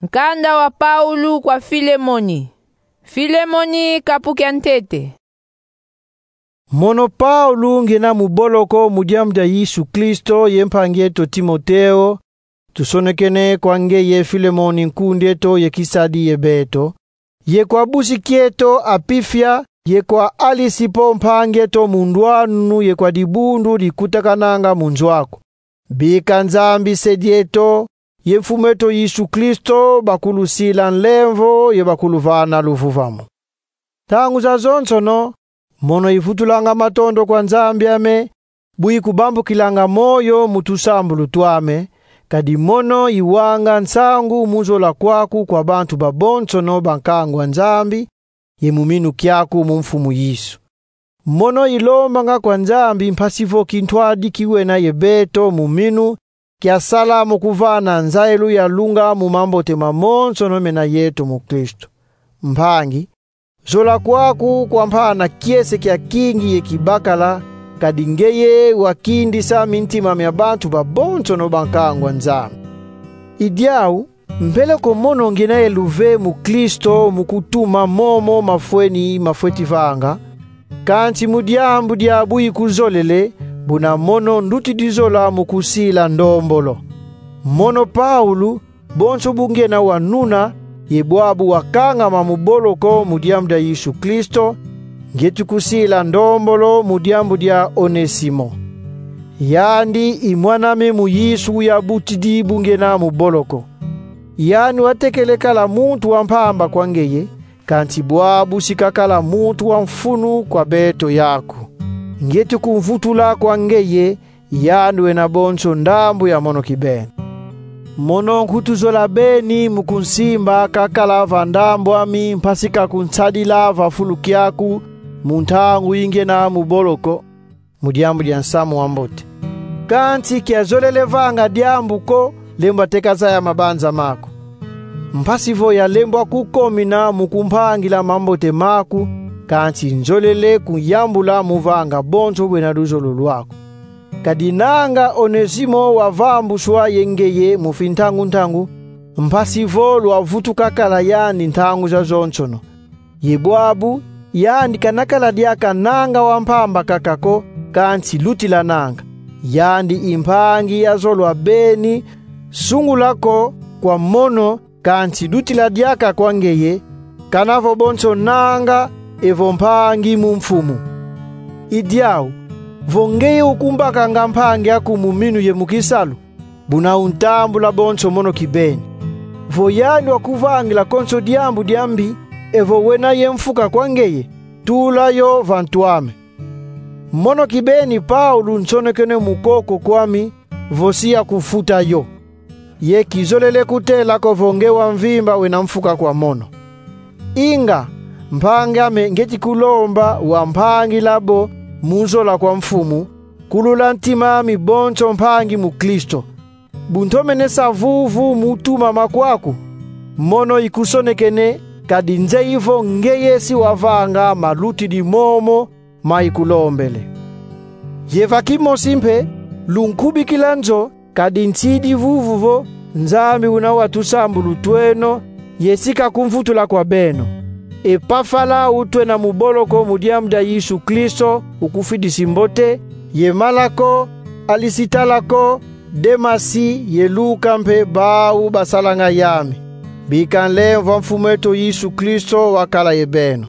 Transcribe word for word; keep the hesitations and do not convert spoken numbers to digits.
Nkanda wa Paulo kwa Filemoni. Filemoni, kapu kia ntete. Mono Paulo, ngiena mu boloko mu diambu dia Yesu Kristo, ye mpangi eto Timoteo, tusonekene kwa ngeye Filemoni, nkundi eto ye kisadi ye beto, ye kwa busi kieto Apifia, ye kwa Alisipo, mpangi eto mu ndwanu, ye kwa dibundu dikutakananga mu nzo aku. Bika Nzambi Se dieto ye Mfumu eto Yesu Kristo bakulusila nlemvo ye bakuluvana luvuvamu. Ntangu zazonsono, mono ivutulanga matondo kwa Nzambi ame, bu ikubambukilanga moyo mu tusambulu twame, kadi mono iwanga nsangu mu zola kwaku kwa bantu babonsono ba nkangu a Nzambi, ye mu minu kiaku mu Mfumu Yesu. Mono ilombanga kwa Nzambi mpasi vo kintwadi kiwena ye beto mu minu kiasala mu kuvana nzayilu ya lunga mu mambote mamonsono mena yeto mu Kristo. Mpangi, zola kwaku kwa mpana kiese kia kingi ye kibakala, kadi ngeye wakindisa mintima mia bantu babonsono ba nkangu a Nzambi. I diau, mbele ko mono ngiena ye luve mu Kristo mu kutuma momo mafweni mafweti vanga, kansi mu diambu dia bu ikuzolele, buna mono ndutidi zola mu kusila ndombolo. Mono Paulo, bonso bu ngiena wa nuna, ye bwabu wakangama mu boloko mu diambu dia Yesu Kristo, ngieti kusila ndombolo mu diambu dia Onesimo. Yandi i mwan'ame mu Yesu uyabutidi bu ngiena mu boloko. Yandi watekele kala muntu wa mpamba kwa ngeye, kansi bwabu si kakala muntu wa mfunu kwa beto yaku. Ngieti kumvutula kwa ngeye, yandi wena bonso ndambu ya mono kibeni. Mono nkutu zola beni mu kunsimba kakala va ndambu ami mpasi ka kunsadila va fulu kiaku mu ntangu yi ngiena mu boloko, mu diambu dia nsamu wa mbote. Kansi kiazolele vanga diambu ko lembwa teka zaya mabanza maku. Mpasi vo yalembwa kukomina mu kumpangila mambote maku, kansi nzolele kuyambula mu vanga bonso bwena luzolo lwaku. Kadi nanga Onesimo wavambuswa ye ngeye mu fintangu-ntangu, mpasi vo lwavutuka kala yandi ntangu zazonsono. Ye bwabu, yandi kana kala diaka nanga wa mpamba kaka ko, kansi lutilananga. Yandi i mpangi ya zolwa beni, sungula ko kwa mono, kansi lutila diaka kwa ngeye, kana vo bonso nanga evo mpangi mu Mfumu. I diau, vo ngeye ukumbakanga mpangi aku mu minu ye mu kisalu, buna untambula bonso mono kibeni. Vo yandi wakuvangila konso diambu diambi, evo wena ye mfuka kwa ngeye, tula yo va ntu ame. Mono kibeni Paulo nsonekene mu koko kwami, vo si yakufuta yo. Ye kizolele kutela ko vo nge wa mvimba wena mfuka kwa mono. Inga, mpangi ame, ngieti kulomba wampangila bo mu zola kwa Mfumu, kulula ntima ami bonso mpangi mu Kristo. Bu ntomene sa vuvu mu tumama kwaku, mono ikusonekene, kadi nzeyi vo ngeye si wavanga malutidi momo ma ikulombele. Ye va kimosi mpe, lunkubikila nzo, kadi nsidi vuvu vo Nzambi una wa tusambulu tweno, ye si kakumvutula kwa beno. Epafala utwena mu boloko mu diambu dia Yesu Kristo, ukufidisi mbote, ye Malako, Alisitalako, Demasi ye Luka mpe bau basalanga yame. Bika nlemvo a Mfumu eto Yesu Kristo wakala ye beno.